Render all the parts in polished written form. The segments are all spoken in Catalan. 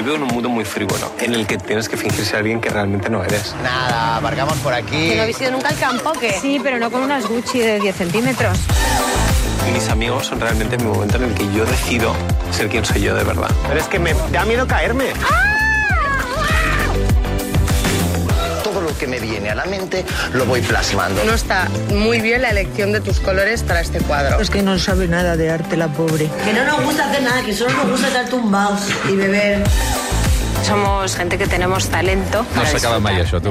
Yo vivo en un mundo muy frívolo, en el que tienes que fingir ser alguien que realmente no eres. Nada, aparcamos por aquí. ¿Que no habéis ido nunca al campo o qué? Sí, pero no con unas Gucci de 10 centímetros. Mis amigos son realmente mi momento en el que yo decido ser quien soy yo de verdad. Pero es que me da miedo caerme. Todo lo que me viene a la mente lo voy plasmando. No está muy bien la elección de tus colores para este cuadro. Es que no sabe nada de arte, la pobre. Que no nos gusta hacer nada, que solo nos gusta estar tumbados y beber. Somos gente que tenemos talento. No s'acaba mai, això, tu.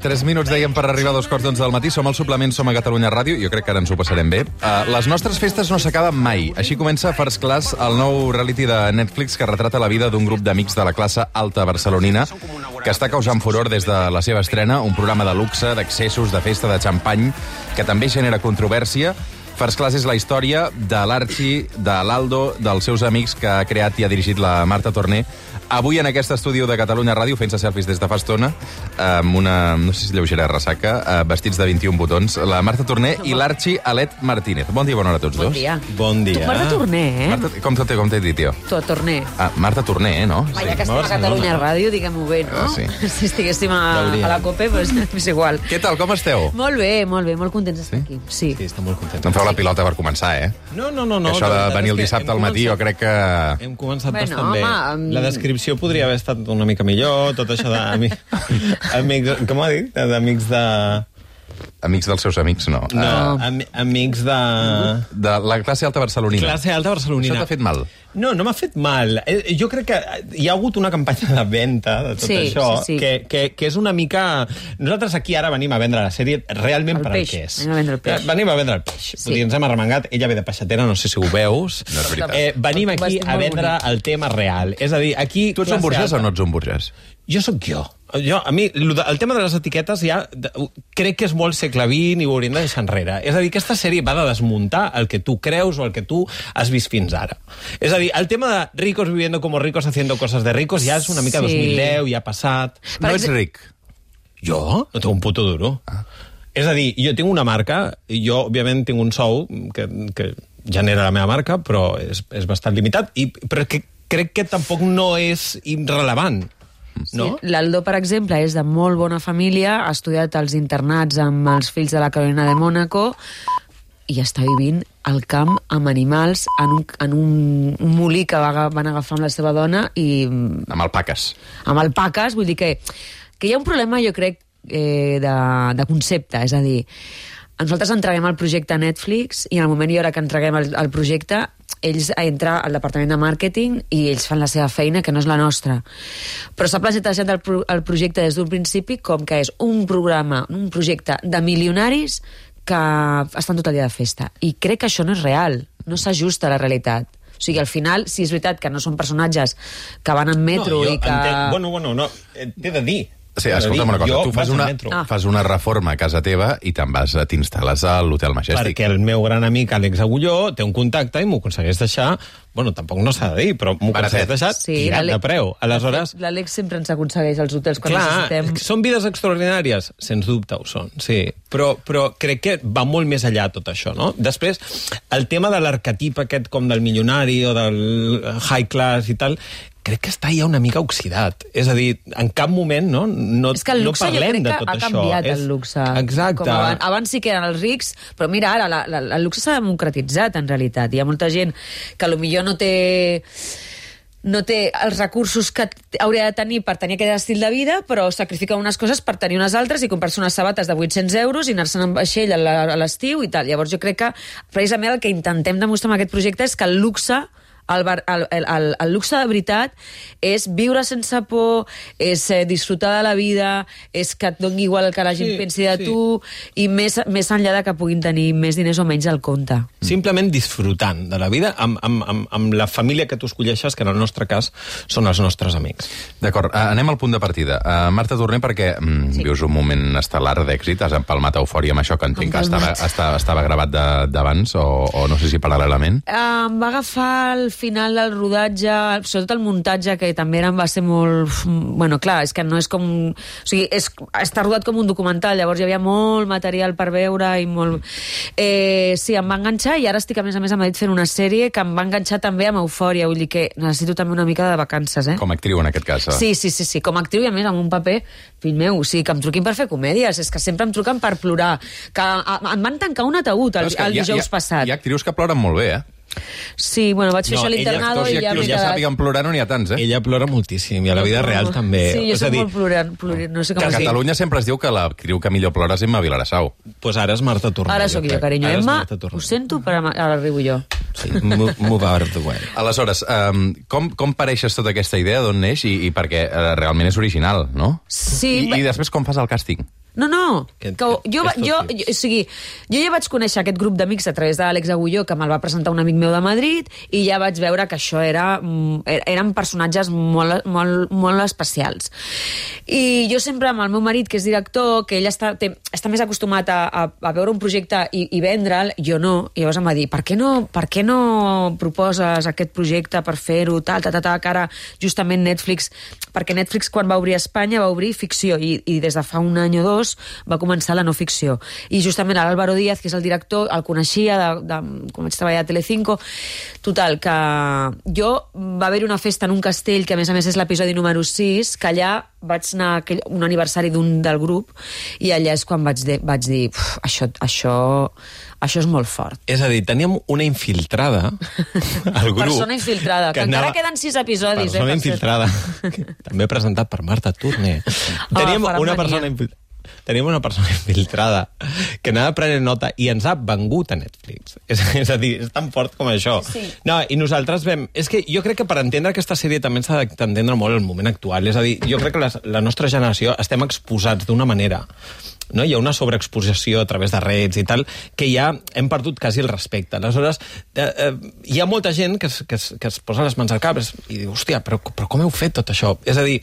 3 minuts, dèiem, per arribar a 2:15 del matí. Som al suplement, som a Catalunya Ràdio. Jo crec que ara ens ho passarem bé. Les nostres festes no s'acaben mai. Així comença First Class, el nou reality de Netflix que retrata la vida d'un grup d'amics de la classe alta barcelonina que està causant furor des de la seva estrena, un programa de luxe, d'accessos, de festa, de xampany, que també genera controvèrsia. First Class és la història de l'Arxi, de l'Aldo, dels seus amics que ha creat i ha dirigit la Marta Torné. Avui en aquest estudi de Catalunya Ràdio, fent-se selfies des de fa estona, amb una, no sé si lleugera ressaca, vestits de 21 botons, la Marta Torné i l'Arxi Alet Martínez. Bon dia, bona hora a tots dos. Bon dia. Bon dia. Tu, Marta Torné, eh? Marta, com t'he dit, jo? Tu, Torné. Marta Torné, no? Ja que estem a Catalunya Ràdio, diguem-ho bé, no? Sí. Si estiguéssim a la COPE, doncs és igual. Què tal, com esteu? Molt bé, molt contents d'estar aquí. Sí, estem molt contents. Em feu la pilota per començar, eh? No. Això de venir el dissabte al matí, jo crec que... Hem començat bastant bé. La descripció podria haver estat una mica millor, tot això d'amics... Com ha dit? D'amics de... Amics dels seus amics, no. No, amics de... De la classe alta barcelonina. Classe alta barcelonina. Això t'ha fet mal? No m'ha fet mal. Jo crec que hi ha hagut una campanya de venda de tot això, que és una mica... Nosaltres aquí ara venim a vendre la sèrie realment per al que és. Venim a vendre el peix. Venim a vendre el peix. Vull dir, ens hem arremangat, ella ve de peixatera, no sé si ho veus. No és veritat. Venim aquí a vendre el tema real. És a dir, aquí... Tu ets un burgès o no ets un burgès? Jo sóc jo. A mi, el tema de les etiquetes ja crec que és molt segle XX i ho hauríem de deixar enrere. És a dir, aquesta sèrie va de desmuntar el que tu creus o el que tu has vist fins ara. És a dir, el tema de ricos viviendo como ricos haciendo cosas de ricos ja és una mica 2010, ja ha passat. No ets ric? Jo? No tinc un puto duro. És a dir, jo tinc una marca, i jo, òbviament, tinc un sou que genera la meva marca, però és bastant limitat, però crec que tampoc no és irrellevant. No? Sí. L'Aldo, per exemple, és de molt bona família, ha estudiat als internats amb els fills de la Carolina de Mònaco i està vivint al camp amb animals en un molí que van agafar amb la seva dona i... Amb alpaques. Amb alpaques, vull dir que hi ha un problema, jo crec, de concepte, és a dir, nosaltres entreguem el projecte a Netflix i en el moment i hora que entreguem el projecte ells entren al departament de màrqueting i ells fan la seva feina, que no és la nostra. Però s'ha plantejat el projecte des d'un principi com que és un projecte de milionaris que estan tot el dia de festa. I crec que això no és real, no s'ajusta a la realitat. O sigui, al final, si és veritat que no són personatges que van en metro i que... No, t'he de dir. Sí, escolta'm una cosa, tu fas una reforma a casa teva i t'instal·les a l'Hotel Majestic. Perquè el meu gran amic Àlex Agulló té un contacte i m'ho aconsegueix deixar, bueno, tampoc no s'ha de dir, però m'ho aconsegueix deixar tirat de preu. Aleshores... L'Àlex sempre ens aconsegueix els hotels quan necessitem. Clar, són vides extraordinàries? Sens dubte ho són, sí. Però crec que va molt més allà tot això, no? Després, el tema de l'arquetip aquest com del milionari o del high class i tal... crec que està ja una mica oxidat. És a dir, en cap moment no parlem de tot això. És que el luxe jo crec que ha canviat, el luxe. Exacte. Abans sí que eren els rics, però mira, ara el luxe s'ha democratitzat, en realitat. Hi ha molta gent que potser no té els recursos que hauria de tenir per tenir aquest estil de vida, però sacrifica unes coses per tenir unes altres i comprar-se unes sabates de 800 euros i anar-se'n en vaixell a l'estiu i tal. Llavors jo crec que precisament el que intentem demostrar amb aquest projecte és que el luxe el luxe de veritat és viure sense por, és disfrutar de la vida, és que et doni igual el que la gent pensi de tu i més enllà de que puguin tenir més diners o menys al compte. Simplement disfrutant de la vida amb la família que tu escolleixes, que en el nostre cas són els nostres amics. D'acord, anem al punt de partida. Marta Torné, perquè vius un moment estel·lar d'èxit, has empalmat Eufòria amb això que entenc que estava gravat d'abans o no sé si paral·lelament. Em va agafar el final del rodatge, sobretot el muntatge, que també va ser molt... Bueno, clar, és que no és com... O sigui, està rodat com un documental, llavors hi havia molt material per veure i molt... Sí, em va enganxar i ara estic, a més, a Madrid fent una sèrie que em va enganxar també amb Eufòria, vull dir que necessito també una mica de vacances, Com a actriu, en aquest cas. Sí, com a actriu i, a més, amb un paper, fill meu, sí, que em truquin per fer comèdies, és que sempre em truquen per plorar, que em van tancar un ataúd el dijous passat. Hi ha actrius que ploren molt bé, Sí, bueno, vaig fer això a l'internado i ja m'he quedat... Ja sàpiguen plorar, no n'hi ha tants, Ella plora moltíssim, i a la vida real també. Sí, jo soc molt plorant, no sé com a Catalunya sempre es diu que l'actriu que millor plora és Emma Vilareçau. Pues ara és Marta Tornell. Ara sóc jo, carinyo. Emma, ho sento, però ara arribo jo. Sí, move out of the way. Aleshores, com pareixes tota aquesta idea, d'on neix, i perquè realment és original, no? Sí. I després com fas el càsting? No, jo ja vaig conèixer aquest grup d'amics a través de l'Àlex Agulló, que me'l va presentar un amic meu de Madrid, i ja vaig veure que això eren personatges molt especials. I jo sempre, amb el meu marit, que és director, que ell està més acostumat a veure un projecte i vendre'l, jo no. I llavors em va dir, per què no proposes aquest projecte per fer-ho, que ara justament Netflix, perquè Netflix quan va obrir a Espanya va obrir ficció, i des de fa un any o dos va començar la no ficció. I justament l'Álvaro Díaz, que és el director, el coneixia quan vaig treballar a Telecinco. Total, que va haver-hi una festa en un castell, que a més és l'episodi número 6, que allà vaig anar a un aniversari del grup, i allà és quan vaig dir això és molt fort. És a dir, teníem una infiltrada al grup. Persona infiltrada, que encara queden 6 episodis. Persona infiltrada, també presentat per Marta Tornell. Teníem una persona infiltrada que anava prenent nota i ens ha vengut a Netflix. És a dir, és tan fort com això. Sí. No, i nosaltres vam... És que jo crec que per entendre aquesta sèrie també s'ha d'entendre molt el moment actual. És a dir, jo crec que la nostra generació estem exposats d'una manera, no? Hi ha una sobreexposició a través de redes i tal, que ja hem perdut quasi el respecte. Aleshores, hi ha molta gent que es posa les mans al cap i diu, hòstia, però com heu fet tot això? És a dir,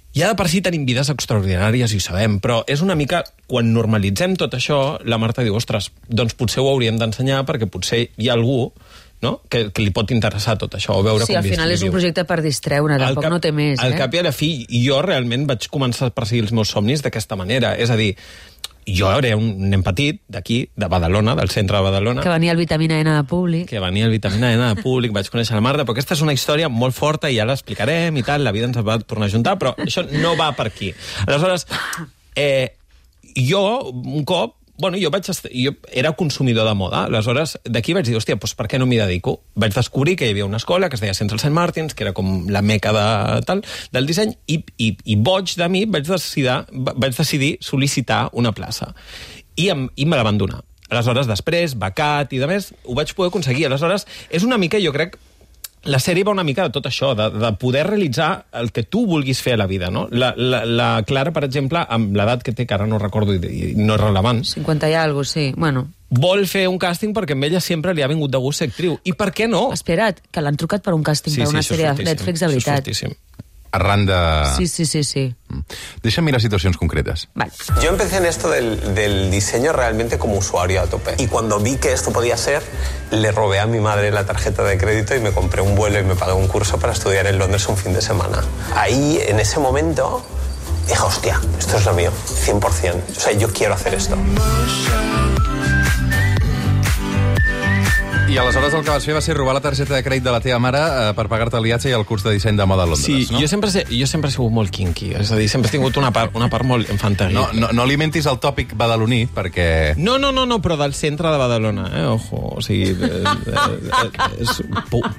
ja de per si tenim vides extraordinàries i ho sabem, però és una mica, quan normalitzem tot això, la Marta diu, ostres, doncs potser ho hauríem d'ensenyar perquè potser hi ha algú, no?, que li pot interessar tot això, o veure com al final és un projecte per distreure, tampoc no té més. Al cap i a la fi, jo realment vaig començar a perseguir els meus somnis d'aquesta manera, és a dir, jo era un nen petit d'aquí, de Badalona, del centre de Badalona. Que venia el Vitamina N de Públic. Vaig conèixer la Marta, però aquesta és una història molt forta i ja l'explicarem i tal, la vida ens va tornar a juntar, però això no va per aquí. Aleshores, jo, un cop, jo era consumidor de moda, aleshores d'aquí vaig dir, hòstia, doncs per què no m'hi dedico? Vaig descobrir que hi havia una escola que es deia Central St. Martins, que era com la meca del disseny, i boig de mi vaig decidir sol·licitar una plaça. I me la van donar. Aleshores, després, becat i de més, ho vaig poder aconseguir. Aleshores, és una mica, jo crec, la sèrie va una mica de tot això, de poder realitzar el que tu vulguis fer a la vida, no? La Clara, per exemple, amb l'edat que té, que ara no recordo i no és rellevant... 50 i alguna cosa, sí, bueno... Vol fer un càsting perquè a ella sempre li ha vingut de gust ser actriu. I per què no? Espera't, que l'han trucat per un càsting, per una sèrie de Netflix, de veritat. Això és fortíssim. Arran de... Sí. Deixa'm mirar situacions concretes. Vale. Yo empecé en esto del diseño realmente como usuario a tope. Y cuando vi que esto podía ser, le robé a mi madre la tarjeta de crédito y me compré un vuelo y me pagué un curso para estudiar en Londres un fin de semana. Ahí, en ese momento, dije, hostia, esto es lo mío, 100%. O sea, yo quiero hacer esto. I aleshores el que vas fer va ser robar la targeta de crèdit de la teva mare per pagar-te el viatge i el curs de disseny de moda a Londres, no? Sí, jo sempre he sigut molt kinky, és a dir, sempre he tingut una part molt infantil. No alimentis el tòpic badaloní, perquè... No, però del centre de Badalona, ojo, o sigui, és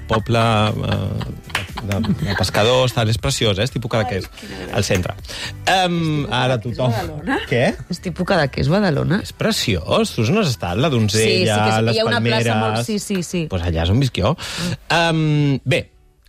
poble de pescadors, tal, és preciós, és tipus Cadaqués, al centre. Ara tothom... Què? És tipus Cadaqués, Badalona? És preciós, tu no has estat, la donzella, les palmeres... Sí. Pues allà és on visc jo. Bé,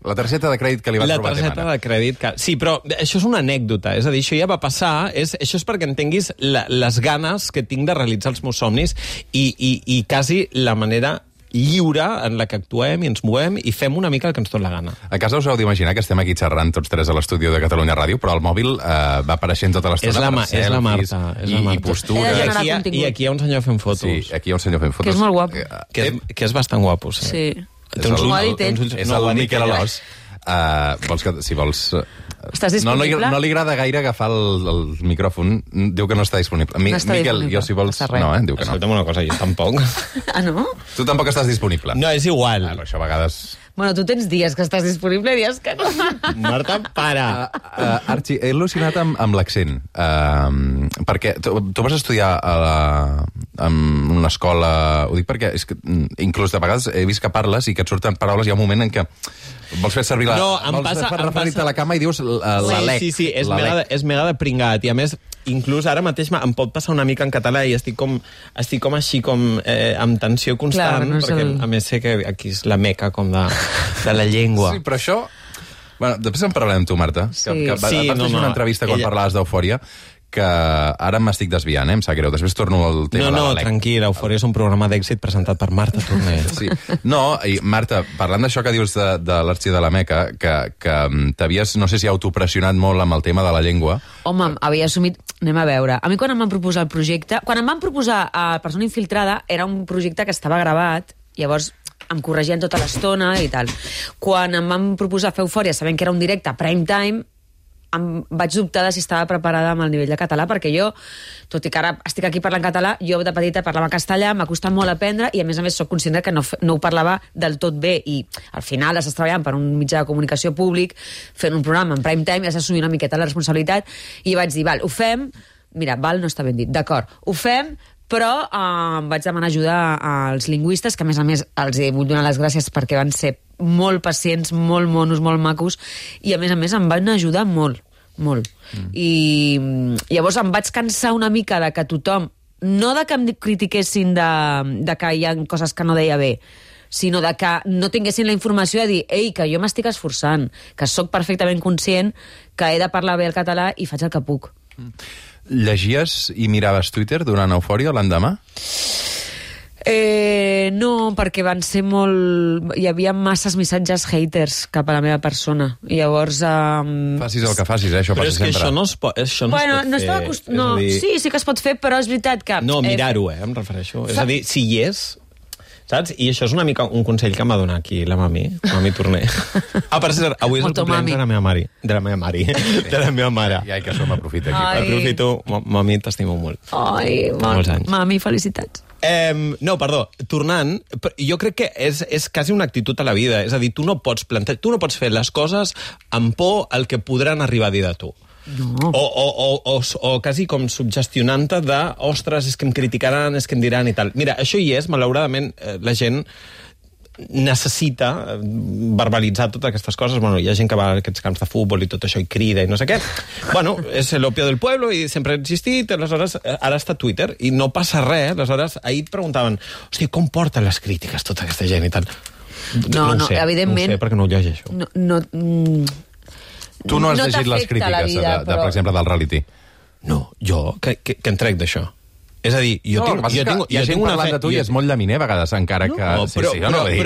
la targeta de crèdit que li vas robar a ta mare. La targeta de crèdit... Sí, però això és una anècdota. És a dir, això ja va passar. Això és perquè entenguis les ganes que tinc de realitzar els meus somnis i quasi la manera lliure en la que actuem i ens movem i fem una mica el que ens tot la gana. A casa us heu d'imaginar que estem aquí xerrant tots tres a l'estudi de Catalunya Ràdio, però el mòbil va apareixent tota l'estona per selfies, és la Marta. I postures. I aquí hi ha un senyor fent fotos. Sí, aquí hi ha un senyor fent fotos. Que és molt guapo. Que és bastant guapo, sí. És el Miquel Alòs. Vols que, si vols... Estàs disponible? No li agrada gaire agafar el micròfon. Diu que no està disponible. Miquel, jo si vols... No, diu que no. Escolta'm una cosa, jo tampoc. Ah, no? Tu tampoc estàs disponible. No, és igual. Això a vegades... Bueno, tu tens dies que estàs disponible i dies que no. Marta, para. Arxi, he al·lucinat amb l'accent. Perquè tu vas estudiar en una escola... Ho dic perquè és que, inclús de vegades he vist que parles i que et surten paraules, hi ha un moment en què vols fer servir referir-te a la cama i dius l'alec. Sí, és mega de pringat. I a més, inclús ara mateix em pot passar una mica en català i estic com així amb tensió constant, perquè a més sé que aquí és la meca com de la llengua. Sí, però això... Bueno, després en parlarem amb tu, Marta. Vas fer una entrevista quan parlaves d'Eufòria, que ara m'estic desviant, em sap greu. Després torno al tema de l'Alec. Tranquil, Eufòria és un programa d'èxit presentat per Marta Tornell. Sí. No, i Marta, parlant d'això que dius de l'Arxi de la Meca, que t'havies, no sé si autopressionat molt amb el tema de la llengua. Home, havia assumit... Anem a veure. A mi quan em van proposar el projecte... Quan em van proposar a Persona Infiltrada, era un projecte que estava gravat, llavors em corregien tota l'estona i tal. Quan em van proposar fer Eufòria, sabent que era un directe prime time, em vaig dubtar de si estava preparada amb el nivell de català, perquè jo, tot i que ara estic aquí parlant català, jo de petita parlava castellà, m'ha costat molt aprendre i a més són conscient que no ho parlava del tot bé i al final estàs treballant per un mitjà de comunicació públic, fent un programa en prime time i has d'assumir una miqueta la responsabilitat i vaig dir, ho fem, mira, no està ben dit, d'acord, ho fem, però vaig demanar ajuda als lingüistes, que a més els vull donar les gràcies perquè van ser molt pacients, molt monos, molt macos, i a més em van ajudar molt. I llavors em vaig cansar una mica de que tothom, no de que em critiquessin de que hi ha coses que no deia bé, sinó de que no tinguessin la informació de dir, que jo m'estic esforçant, que sóc perfectament conscient que he de parlar bé el català i faig el que puc. Llegies i miraves Twitter durant Eufòria l'endemà? No, perquè van ser molt... Hi havia masses missatges haters cap a la meva persona. I llavors... Facis el que facis, això passa sempre. Però és que això no es pot fer. Sí que es pot fer, però és veritat que... No, mirar-ho, em refereixo. És a dir, si hi és... Saps? I això és una mica un consell que m'ha donat aquí la mami Torner. Per cert, avui és el cumpleaños de la meva mare. De la meva mare. I que això m'aprofita aquí. Aprofito, mami, t'estimo molt. Molts anys. Mami, felicitats. No, perdó, tornant, jo crec que és quasi una actitud a la vida. És a dir, tu no pots fer les coses amb por al que podran arribar a dir de tu. No. O quasi com suggestionant-te de ostres, és que em criticaran, és que em diran i tal. Mira, això hi és, malauradament la gent necessita verbalitzar totes aquestes coses. Bueno, hi ha gent que va a aquests camps de futbol i tot això i crida i no sé què. Bueno, és l'opio del pueblo i sempre ha existit, aleshores ara està Twitter i no passa res. Aleshores, ahir et preguntaven, hosti, com porten les crítiques tota aquesta gent i tal? No, evidentment... No ho sé, perquè no ho llegeixo. Tu no has llegit les crítiques, per exemple, del reality? No, jo, que em trec d'això. És a dir, jo tinc una parlant de tu i és molt llaminer, a vegades, encara que... Però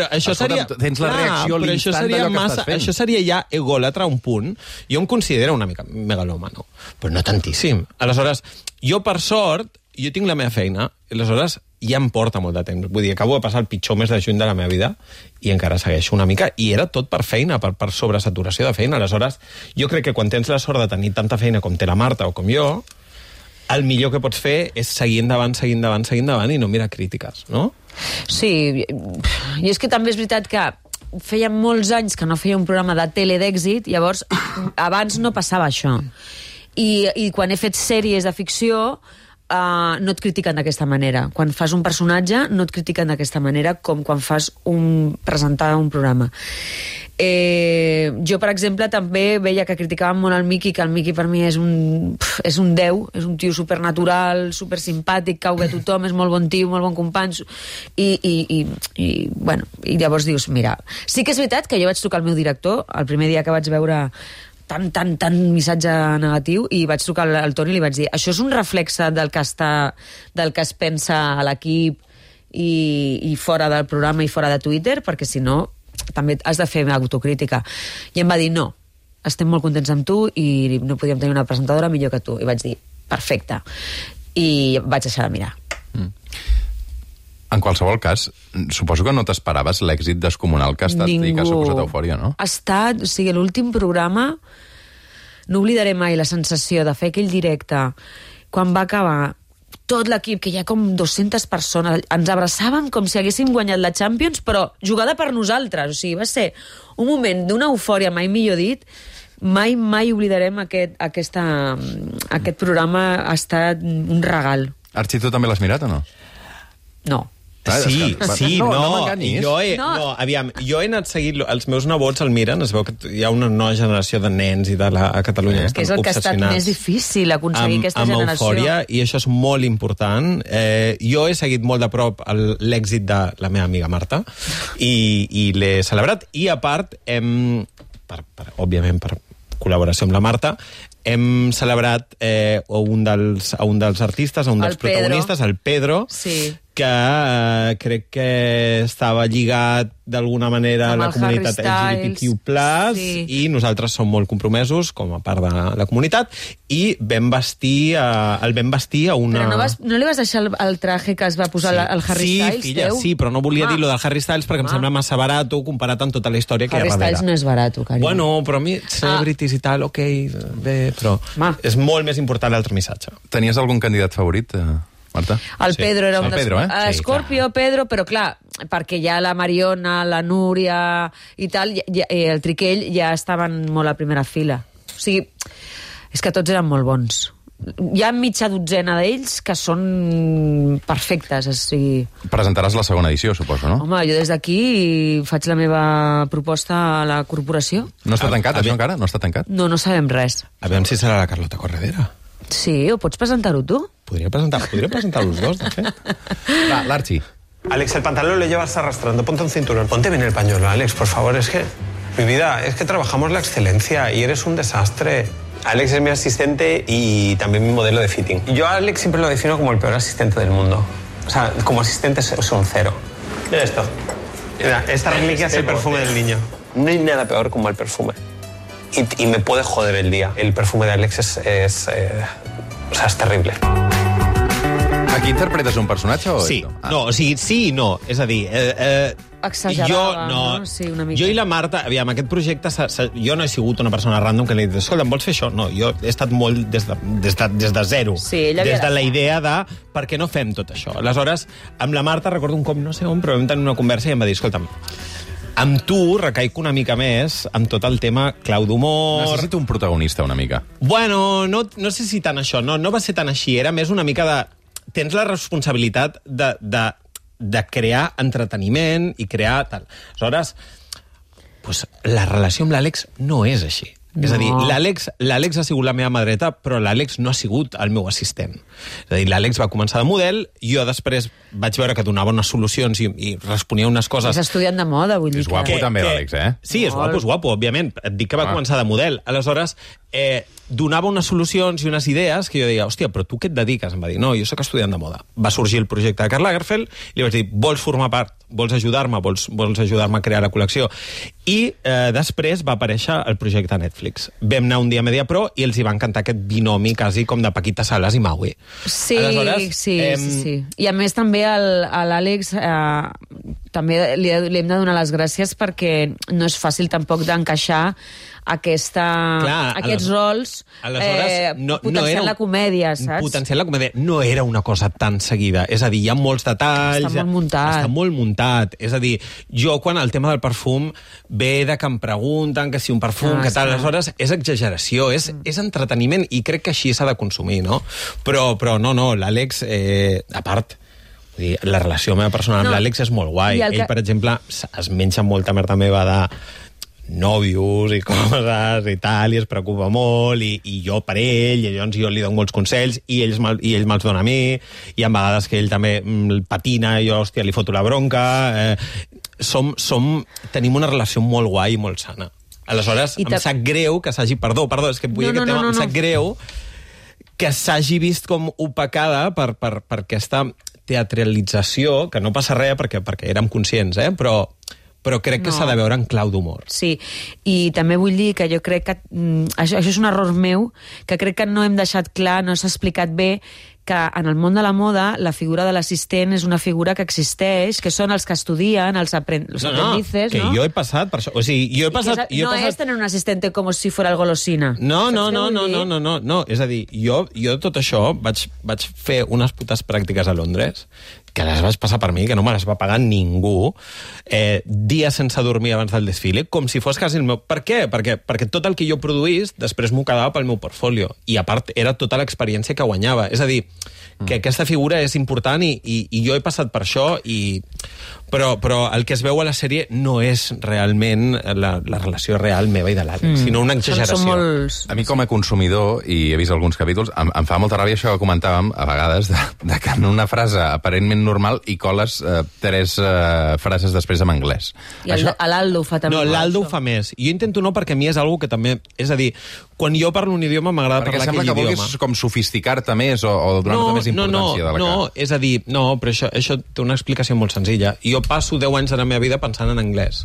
això seria... Tens la reacció a l'instant d'allò que estàs fent. Això seria ja egòlatra a un punt. Jo em considero una mica megalòmano, però no tantíssim. Aleshores, jo, per sort, jo tinc la meva feina, aleshores ja em porta molt de temps. Vull dir, acabo de passar el pitjor mes de juny de la meva vida i encara segueixo una mica. I era tot per feina, per sobresaturació de feina. Aleshores, jo crec que quan tens la sort de tenir tanta feina com té la Marta o com jo, el millor que pots fer és seguir endavant i no mirar crítiques, no? Sí, i és que també és veritat que feia molts anys que no feia un programa de tele d'èxit, llavors abans no passava això. I quan he fet sèries de ficció no et critiquen d'aquesta manera. Quan fas un personatge no et critiquen d'aquesta manera com quan fas presentar un programa. Jo, per exemple, també veia que criticaven molt el Miqui, que el Miqui per mi és un déu, és un tio supernatural, supersimpàtic, cau bé tothom, és molt bon tio, molt bon company, i llavors dius, mira, sí que és veritat que jo vaig trucar al meu director el primer dia que vaig veure tant missatge negatiu i vaig trucar al Toni i li vaig dir, això és un reflexe del que es pensa a l'equip i fora del programa i fora de Twitter, perquè si no també has de fer autocrítica. I em va dir, no, estem molt contents amb tu i no podíem tenir una presentadora millor que tu. I vaig dir, perfecte. I vaig deixar de mirar. En qualsevol cas, suposo que no t'esperaves l'èxit descomunal que ha estat i que ha suposat Eufòria, no? Ha estat, o sigui, l'últim programa, no oblidaré mai la sensació de fer aquell directe, quan va acabar tot l'equip, que hi ha com 200 persones, ens abraçàvem com si haguéssim guanyat la Champions, però jugada per nosaltres. O sigui, va ser un moment d'una eufòria, mai millor dit. Mai oblidarem aquest programa. Ha estat un regal. Arxi, tu també l'has mirat o no? No. Sí, No no, m'enganyis. jo he anat seguint, els meus nebots el miren, es veu que hi ha una nova generació de nens i a Catalunya Que és el que ha estat més difícil, aconseguir aquesta generació. Amb Eufòria, i això és molt important. Jo he seguit molt de prop l'èxit de la meva amiga Marta i l'he celebrat, i a part, òbviament per col·laboració amb la Marta, hem celebrat a un dels artistes, a un dels protagonistes, el Pedro, sí, que crec que estava lligat d'alguna manera a la comunitat LGBTQ+, i nosaltres som molt compromesos com a part de la comunitat, i el vam vestir a una... Però no li vas deixar el traje que es va posar el Harry Styles, filla, teu? Sí, però no volia dir lo del Harry Styles perquè em sembla massa barat comparat amb tota la història que hi ha darrere. Harry Styles no és barat, carinyo. Bueno, però a mi, celebrities i tal, ok, bé, però és molt més important l'altre missatge. Tenies algun candidat favorit, Marta? El Pedro era un dels... Scorpio, Pedro, però clar, perquè ja la Mariona, la Núria i tal, el Triquell ja estaven molt a primera fila. O sigui, és que tots eren molt bons. Hi ha mitja dotzena d'ells que són perfectes. O sigui... Presentaràs la segona edició, suposo, no? Home, jo des d'aquí faig la meva proposta a la corporació. No està tancat, això encara? No està tancat? No sabem res. Aviam si serà la Carlota Corredera. Sí, o pots presentar-ho tu? Podria presentar los dos, de fet. Va, l'Arxi. Alex, el pantalón lo llevas arrastrando. Ponte un cinturón. Ponte bien el pañuelo, Alex, por favor. Es que, mi vida, es que trabajamos la excelencia y eres un desastre. Alex es mi asistente y también mi modelo de fitting. Yo a Alex siempre lo defino como el peor asistente del mundo. O sea, como asistente es un cero. Mira esto. Mira, esta reliquia es el perfume del niño. No hay nada peor como el perfume. Y me puede joder el día. El perfume de Alex es terrible. Aquí interpretes un personatge o... Sí, no, o sigui, sí i no. És a dir... Exagerava, no? Sí, una mica. Jo i la Marta, aviam, aquest projecte, jo no he sigut una persona random que li he dit, escolta, em vols fer això? No, jo he estat molt des de zero. Sí, des de la idea de per què no fem tot això. Aleshores, amb la Marta, recordo un cop, no sé on, però vam tenir una conversa i em va dir, escolta'm, amb tu recaic una mica més amb tot el tema clau d'humor... Necessito un protagonista, una mica. Bueno, no sé si tant això, no va ser tan així, era més una mica de... Tens la responsabilitat de crear entreteniment i crear tal. Aleshores, pues, la relació amb l'Àlex no és així. No. És a dir, l'Àlex ha sigut la meva mà dreta, però l'Àlex no ha sigut el meu assistent. És a dir, l'Àlex va començar de model, jo després vaig veure que donava unes solucions i responia unes coses... És estudiant de moda, vull dir. És guapo també, l'Àlex, eh? Sí, és guapo, òbviament. Et dic que va començar de model. Aleshores, donava unes solucions i unes idees que jo deia, hòstia, però tu què et dediques? Em va dir, no, jo sóc estudiant de moda. Va sorgir el projecte de Karl Lagerfeld i li vaig dir, vols formar part? Vols ajudar-me? Vols ajudar-me a crear la col·lecció? I després va aparèixer el projecte Netflix. Vam anar un dia a Mediapro i els hi va encantar aquest binomi quasi com de Paquita Salas i Maui. Sí, sí. I a més també a l'Àlex també li hem de donar les gràcies perquè no és fàcil tampoc d'encaixar aquests rols potenciant la comèdia, saps? Potenciant la comèdia. No era una cosa tan seguida. És a dir, hi ha molts detalls... Està molt muntat. És a dir, jo quan el tema del perfum ve de que em pregunten que si un perfum, que tal, aleshores és exageració, és entreteniment i crec que així s'ha de consumir, no? Però no, l'Àlex, a part... La relació meva personal amb l'Àlex és molt guai. Ell, per exemple, es menja molta merda meva de nòvios i coses i tal, i es preocupa molt, i jo per ell, i llavors jo li dono molts consells, i ell me'ls dona a mi, i a vegades que ell també patina, i jo, hòstia, li foto la bronca... Tenim una relació molt guai i molt sana. Aleshores, em sap greu que s'hagi... Perdó, és que vull dir aquest tema, em sap greu que s'hagi vist com opacada per aquesta teatralització, que no passa res perquè érem conscients, però però crec que No. s'ha de veure en clau d'humor. Sí, i també vull dir que jo crec que això és un error meu, que crec que no hem deixat clar, no s'ha explicat bé, que en el món de la moda la figura de l'assistent és una figura que existeix, que són els que estudien, els aprendices, que no? jo he passat per això. O sigui, jo he passat... No és tener un assistente com si fuera el golosina. No. Saps què vull dir? És a dir, jo tot això vaig fer unes putes pràctiques a Londres que les vaig passar per mi, que no me les va pagar ningú, dies sense dormir abans del desfile, com si fos quasi el meu... Per què? Perquè tot el que jo produís després m'ho quedava pel meu portfolio. I a part, era tota l'experiència que guanyava. És a dir, que aquesta figura és important i jo he passat per això, però el que es veu a la sèrie no és realment la relació real meva i de l'Àlex, sinó una exageració. Són molts... A mi, com a consumidor, i he vist alguns capítols, em fa molta ràbia això que comentàvem a vegades, de que en una frase aparentment normal hi coles 3 frases després en anglès. I l'Aldo ho fa també. No, l'Aldo ho això. fa més. I jo intento no, perquè a mi és algo que també... És a dir, quan jo parlo un idioma m'agrada Perquè parlar sembla aquell que idioma. vulguis com sofisticar-te més o donar-te més importància de la que... No, és a dir, no, però això té una explicació molt senzilla. Jo passo 10 anys de la meva vida pensant en anglès.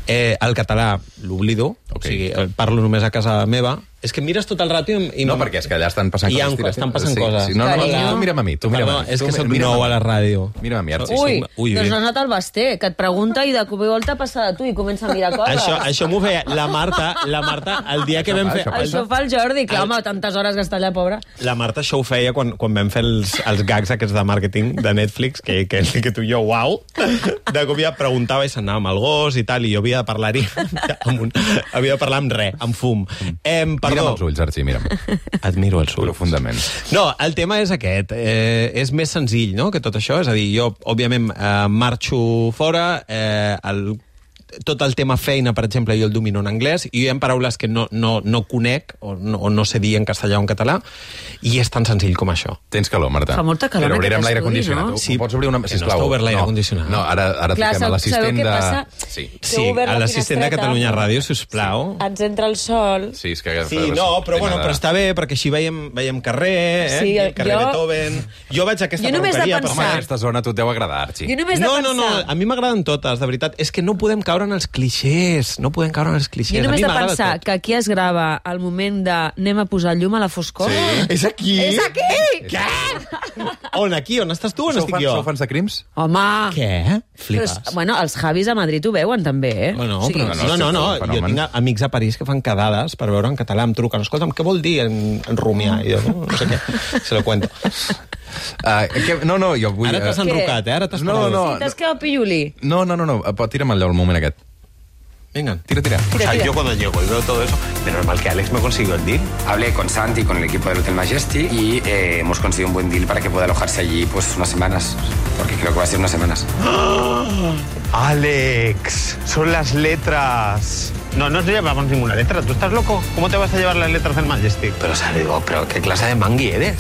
El català l'oblido, o sigui, parlo només a casa meva. És que mires tot el rato i No, perquè és que allà estan passant coses. estan passant coses. Sí. No, tu mira'm a mi, tu mira'm a mi. És que soc nou a la ràdio. Mira'm a mi, Arxi. Ui, doncs no has anat al Basté, que et pregunta i de cop i volta passa de tu i comença a mirar coses. Això m'ho feia la Marta, el dia que vam fer... Això fa el Jordi, clar, home, tantes hores que està allà, pobra. La Marta això ho feia quan vam fer els gags aquests de màrqueting de Netflix, que tu i jo, uau, de cop ja preguntava i s'anava amb el gos i tal, i jo havia de parlar-hi havia de parlar amb res, amb fum. Mira'm els ulls, Arxi, mira'm. Admiro els ulls. Profundament. No, el tema és aquest. És més senzill, no?, que tot això. És a dir, jo, òbviament, marxo fora, tot el tema feina, per exemple, jo el domino en anglès, i hi ha paraules que no conec o no sé dir en castellà o en català, i és tan senzill com això. Tens calor, Marta. Fa molta calor Però en obrirem aquest l'aire estudi, condicionat. no? Sí, pots obrir una... Que no Sisplau. està obert l'aire condicionat. No, ara Clar, truquem a l'assistent sabeu què de... passa? Sí. Que heu obert a la l'assistent de finestreta. Catalunya Ràdio, sisplau. Ens entra el sol. Sí, és que... Sí, no, però està bé, perquè així veiem carrer, Sí, carrer jo- Beethoven... Jo vaig a aquesta Jo només de perruqueria... pensar- Home, aquesta zona a tu et deu agradar, Arxi. Jo només de No, pensar... a mi m'agraden totes, de veritat. És que no podem caure en els clixés, Jo només de pensar que aquí es grava el moment de anem a posar llum a la foscor. Sí. És aquí! És aquí! Què? On, aquí? On estàs tu? On estic jo? Sou fans de crims? Home! Què? Però, Flipes. bueno, els Javis a Madrid ho veuen també, eh? No, O sigui, però no. un fenomen. Jo tinc amics a París que fan quedades per veure en català, em truquen. Escolta'm, què vol dir en rumiar? I jo, no sé què, se lo cuento. No, jo vull... Ara t'has enrocat, Ara t'has No, parat. no. Sí, t'has quedat pilluli. No, tira'm allò el moment aquest. Venga. Tira. O sea, yo cuando llego y veo todo eso, de normal que Alex me consiguió el deal. Hablé con Santi, con el equipo del Hotel Majesty y hemos conseguido un buen deal para que pueda alojarse allí pues unas semanas, porque creo que va a ser unas semanas. Alex, son las letras. No nos llevamos ninguna letra. ¿Tú estás loco? ¿Cómo te vas a llevar las letras del Majestic? Pero, o sea, digo, pero ¿qué clase de mangui eres?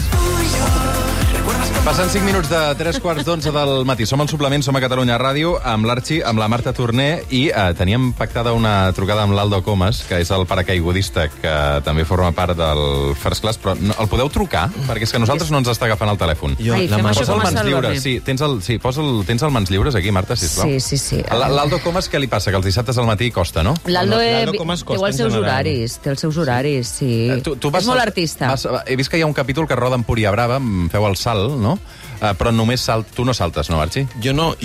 Passen 5 minuts de 3:15 del matí. Som al suplement, som a Catalunya Ràdio, amb l'Arxi, amb la Marta Torner, i teníem pactada una trucada amb l'Aldo Comas, que és el paracaigudista, que també forma part del First Class, però no, el podeu trucar? Perquè és que nosaltres no ens està agafant el telèfon. Ai, fem això Posa com el a mans Sálvame. lliures. Sí, tens el mans lliures aquí, Marta, sisplau? Sí. L'Aldo Comas, què li passa? Que els dissabtes al matí costa, no? L'Aldo l'Aldo com es costa té els en seus general? horaris, té els seus horaris, sí. Tu vas És molt artista. He vist que hi ha un capítol que roda en Empúria Brava, feu el salt, no? Però només tu no saltes, no, Arxi? Jo no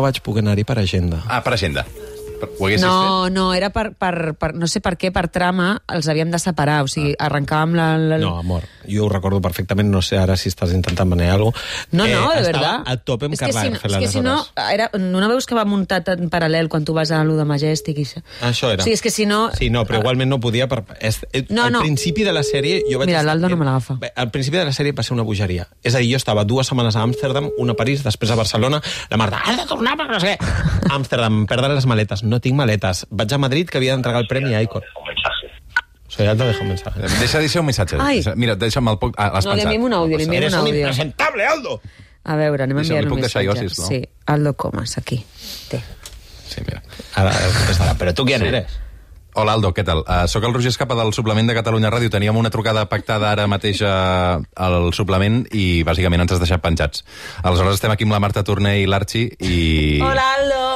vaig poder anar-hi per agenda. Per agenda. Ho haguessis No, era per, no sé per què, per trama, els havíem de separar, o sigui, arrencàvem No, amor, jo ho recordo perfectament, no sé ara si estàs intentant manejar alguna cosa. No, de estava verdad. a tope amb És que Carla Ángel, és que si no, no veus que va muntat en paral·lel quan tu vas a lo de Majestic i això? Això era. O sigui, és que si no... Sí, no, però igualment no podia... Al principi de la sèrie... Mira, l'Aldo no me l'agafa. Al principi de la sèrie va ser una bogeria. És a dir, jo estava 2 setmanes a Amsterdam, una a París, després a Barcelona, la Marta, has de tornar per no sé què. Amsterdam, perdre les maletes. No tinc maletes. Vaig a Madrid, que havia d'entregar el premi a Icon. Soy Aldo, deja un mensaje. Deixa un missatge. Ai. Mira, deixa'm el poc... L'has No, li enviem un àudio, li enviem Eres un un àudio. impresentable, Aldo! A veure, anem a Deixa'm, enviar li un puc deixar jo, missatge. sisplau? Sí, Aldo Comas, aquí. Té. Sí, mira. Ara contestarà, però tu qui eres? Hola, Aldo, què tal? Soc el Roger Escapa del suplement de Catalunya Ràdio. Teníem una trucada pactada ara mateix al suplement i bàsicament ens has deixat penjats. Aleshores estem aquí amb la Marta Torner i l'Arxi i... Hola, Aldo!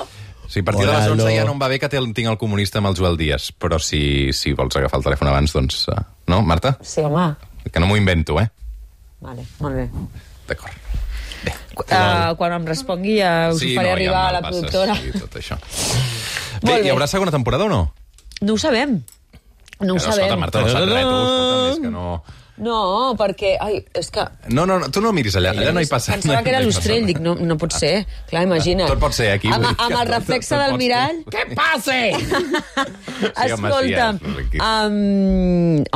Sí, a partir de les 11 ja no em va bé que tinc el comunista amb el Joel Díaz, però si vols agafar el telèfon abans, doncs... No, Marta? Sí, home. Que no m'ho invento, Vale, molt bé. D'acord. Quan em respongui ja us ho faré arribar a la productora. Sí, tot això. Bé, hi haurà segona temporada o no? No ho sabem. No ho sabem. Escolta, Marta, no saps res, tu, és que no... No, perquè... Ai, és que... No, tu no miris allà no hi passa. Pensava que era l'Ostrell, dic, no pot ser. Clar, imagina't. Tot pot ser aquí. Amb el reflexe del mirall... Què passa? Escolta'm,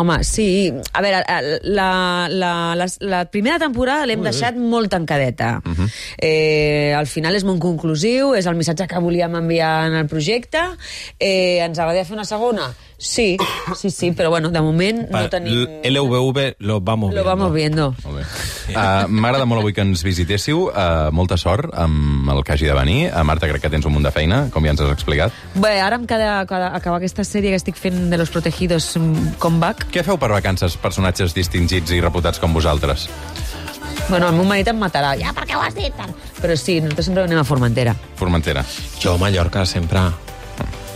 home, sí. A veure, la primera temporada l'hem deixat molt tancadeta. Al final és molt conclusiu, és el missatge que volíem enviar en el projecte. Ens agradaria fer una segona? Sí, però bueno, de moment no tenim... LVV lo vamos viendo. Molt bé. M'agrada molt avui que ens visitéssiu. Molta sort amb el que hagi de venir. Marta, crec que tens un munt de feina, com ja ens has explicat. Bé, ara em queda acabar aquesta sèrie que estic fent de Los Protegidos Comeback. Què feu per vacances, personatges distingits i reputats com vosaltres? Bueno, el meu marit em matarà. Ja, per què ho has dit? Però sí, nosaltres sempre anem a Formentera. Formentera. Jo a Mallorca sempre...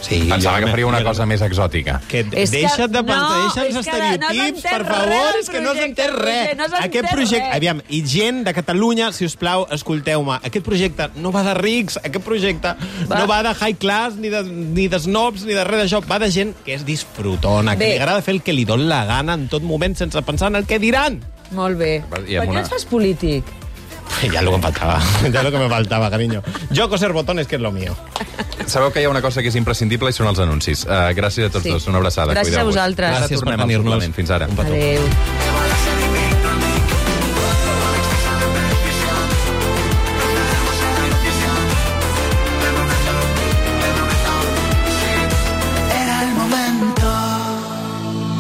Sí, pensava que faria una cosa més exòtica. Deixa't els estereotips, per favor, és que no has entès res. Aquest projecte... Aviam, i gent de Catalunya, si us plau, escolteu-me, aquest projecte no va de rics, aquest projecte no va de high class, ni de snobs, ni de res d'això, va de gent que és disfrutona, que li agrada fer el que li dona la gana en tot moment, sense pensar en el que diran. Molt bé. Per què et fas polític? Ja lo que me faltava, carinyo. Jo coser botones, que és lo mío. Sabeu que hi ha una cosa que és imprescindible i són els anuncis. Gràcies a tots dos, una abraçada. Gràcies a vosaltres. Gràcies per venir-nos. Fins ara. Adéu.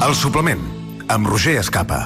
El suplement, amb Roger Escapa.